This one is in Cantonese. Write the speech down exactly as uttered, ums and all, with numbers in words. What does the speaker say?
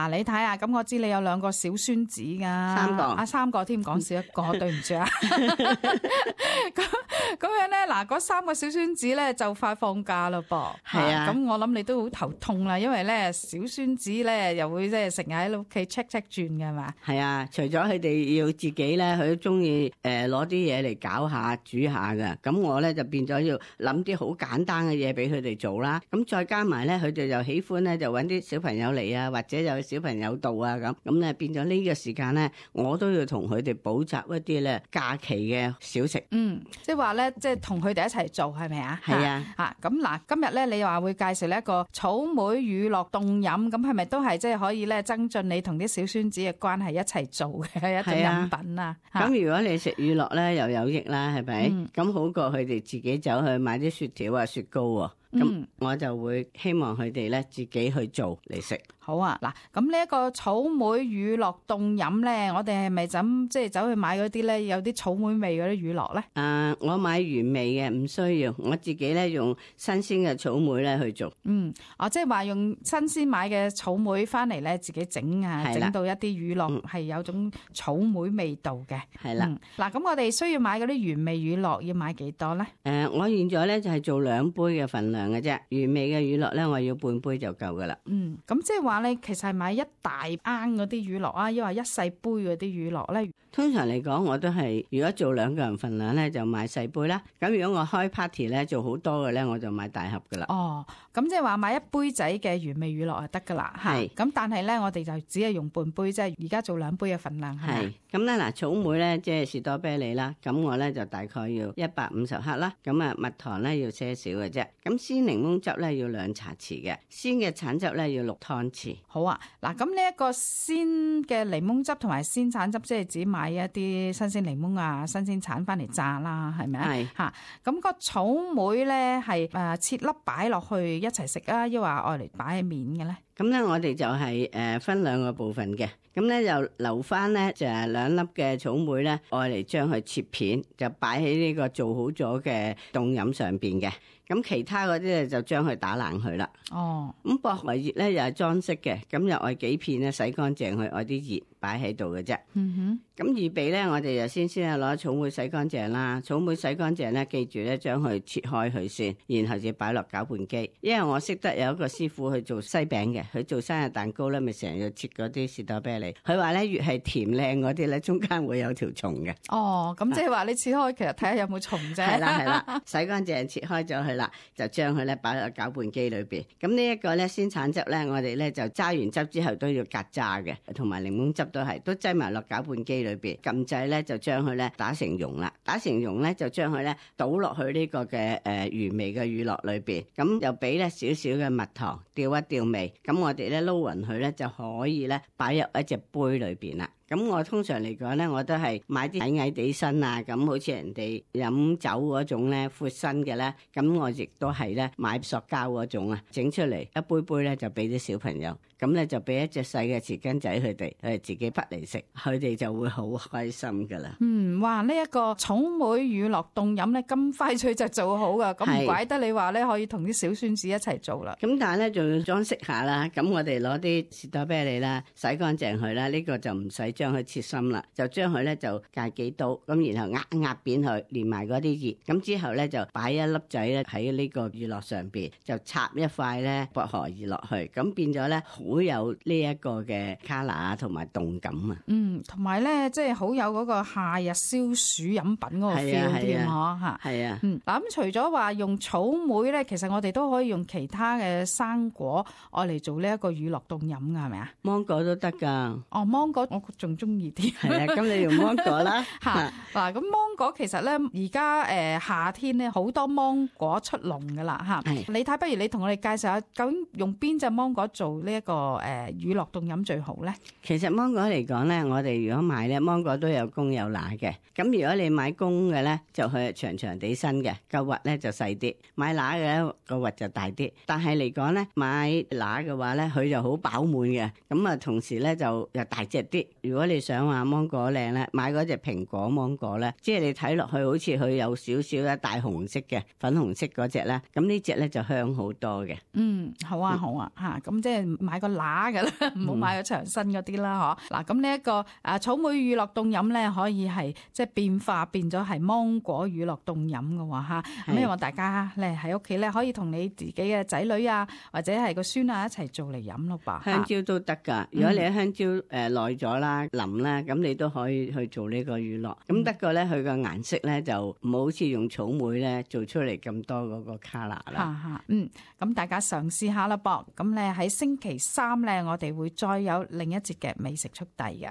嗱，你睇下，咁我知你有兩個小孫子噶，三個啊三個添，講少一個，對唔住啊。咁咁樣咧，嗱，嗰三個小孫子咧就快放假咯噃。係啊，咁我諗你都好頭痛啦，因為咧小孫子咧又會即係成日喺屋企 check check 轉嘅嘛。係啊，除咗佢哋要自己咧，佢都中意誒攞啲嘢嚟搞下煮下嘅。咁我咧就變咗要諗啲好簡單嘅嘢俾佢哋做啦。咁再加埋咧，佢哋又喜歡咧就搵啲小朋友嚟啊，或者有小朋友到啊咁。咁咧變咗呢個時間咧，我都要同佢哋補習一啲咧假期嘅小食。嗯，即係話咧，即係同佢哋一齊做係咪啊？係啊。吓咁嗱，今日咧你話會介紹呢一個草莓乳酪凍飲，咁係咪都係即係可以咧增進你同啲小孫子嘅關係一齊做嘅一種飲品啊？咁如果你食乳酪咧又有益啦，係咪？咁、嗯、好過佢哋自己走去買啲雪條啊、雪糕喎。咁、嗯、我就會希望佢哋咧自己去做嚟食。好啊，嗱，咁呢一個草莓乳酪凍飲咧，我哋係咪咁即係走去買嗰啲咧有啲草莓味嗰啲乳酪咧？啊，我買原味嘅唔需要，我自己咧用新鮮嘅草莓咧去做。嗯，哦，即係話用新鮮買嘅草莓翻嚟咧自己整啊，整到一啲乳酪係有種草莓味道嘅。係啦，嗱、嗯，咁我哋需要買嗰啲原味乳酪要買幾多咧？誒、呃，我現在咧就係做兩杯嘅份量嘅啫，原味嘅乳酪咧我要半杯就夠噶啦。嗯，咁即係話咧，其實係買一大罌嗰啲乳酪啊，抑或一細杯嗰啲乳酪咧？通常嚟講，我都係如果做兩個人份量咧，就買細杯啦。咁如果我開 party 咧，做好多嘅咧，我就買大盒噶啦。哦，咁即係話買一杯仔嘅原味乳酪就得噶啦。係。咁但係咧，我哋就只係用半杯，即係而家做兩杯嘅份量係咪？係。咁咧嗱，草莓咧即係士多啤梨啦，咁我咧就大概要一百五十克啦。咁啊，蜜糖咧要些少嘅啫。咁鮮檸檬汁咧要兩茶匙嘅，鮮嘅橙汁咧要六湯匙。好啊，嗱，咁呢一個鮮嘅檸檬汁同埋鮮橙汁，即係只買一啲新鮮檸檬啊、新鮮橙翻嚟榨啦，係咪啊？係吓，咁個草莓咧係誒切粒擺落去一齊食啊，抑或愛嚟擺喺面嘅咧？咁咧我哋就係誒分兩個部分嘅，咁咧就留翻咧就係兩粒嘅草莓咧，愛嚟將佢切片，就擺喺呢個做好咗嘅凍飲上邊嘅。咁其他嗰啲咧就將佢打爛佢啦。哦，咁薄荷葉咧又係裝飾嘅，咁又愛幾片咧洗乾淨佢，愛啲葉擺喺度嘅啫。嗯哼。咁預備咧，我哋就先先係攞草莓洗乾淨啦。草莓洗乾淨咧，記住咧將佢切開佢先，然後就擺落攪拌機。因為我識得有一個師傅去做西餅嘅，佢做生日蛋糕咧，咪成日要切嗰啲士多啤梨。佢話咧越係甜靚嗰啲咧，中間會有條蟲嘅。哦，咁即係話你切開，其實睇下有冇蟲啫。係啦係啦，洗乾淨切開咗佢啦，就將佢咧擺落攪拌機裏邊。咁呢一個咧鮮橙汁咧，我哋咧就揸完汁之後都要隔渣嘅，同埋檸檬汁都係，都擠埋落攪拌機裏邊。撳掣咧就將佢咧打成蓉啦，打成蓉咧就將佢咧倒落去呢個嘅誒原味嘅乳酪裏邊，咁又俾咧少少嘅蜜糖調一調味，咁我哋咧撈勻佢咧就可以咧擺入一隻杯裏邊啦。咁我通常嚟講咧，我都係買啲矮矮地身啊，咁好似人哋飲酒嗰種咧闊身嘅咧，咁我亦都係咧買塑膠嗰種啊，整出嚟一杯杯咧就俾啲小朋友，咁咧就俾一隻細嘅匙羹仔佢哋，佢哋自己滗嚟食，佢哋就會好開心噶啦。嗯，哇！呢、這、一個草莓乳酪凍飲咧咁快脆就做好噶，咁唔怪得你話咧可以同啲小孫子一齊做啦。咁但係咧仲要裝飾下啦，咁我哋攞啲士多啤梨啦，洗乾淨佢啦，呢、這個就唔使將佢切心啦，就將佢咧就戒幾刀，咁然後壓壓扁佢，連埋嗰啲葉，咁之後咧就擺一粒仔咧喺呢個乳酪上邊，就插一塊咧薄荷葉落去，咁變咗咧好有呢一個嘅 color 啊，同埋動感啊。嗯，同埋咧即係好有嗰個夏日消暑飲品嗰個 feel 添嗬吓。係啊。嗯，嗱咁除咗話用草莓咧，其實我哋都可以用其他嘅生果愛嚟做呢一個乳酪凍飲噶，係咪啊？芒果都得噶。哦，芒果我仲中意。係啊，咁你用芒果啦。吓嗱，咁芒果其實咧，而家誒夏天咧好多芒果出籠噶啦吓。你睇，不如你同我哋介紹下，究竟用邊隻芒果做呢一個誒乳酪凍飲最好咧？其實芒果嚟講咧，我哋如果買咧，芒果都有公有乸嘅。咁如果你買公嘅咧，就佢長長地身嘅，個核咧就細啲；買乸嘅咧，個核就大啲。但係嚟講咧，買乸嘅話咧，佢就好飽滿嘅。咁啊，同時咧就又大隻啲。如果你想話芒果靚咧，買嗰隻蘋果芒果咧，即係你睇落去好似佢有少少咧大紅色嘅粉紅色嗰隻咧，咁呢隻咧就香好多嘅。嗯，好啊好啊嚇，咁、嗯啊、即係買個乸嘅啦，唔好買個長身嗰啲啦嗬。嗱、嗯，咁呢一個誒草莓乳酪凍飲咧，可以係即係變化變咗係芒果乳酪凍飲嘅喎嚇。咁希望大家咧喺屋企咧可以同你自己嘅仔女啊，或者係個孫啊一齊做嚟飲咯噃。香蕉都得㗎，如果你喺香蕉誒耐咗啦、腍啦，咁你都可以去做呢個乳酪。咁得個咧，佢個顏色咧就唔好似用草莓咧做出嚟咁多嗰個 colour 啦。嚇嚇，嗯，咁大家嘗試下啦噃。咁咧喺星期三咧，我哋會再有另一節嘅美食速遞嘅。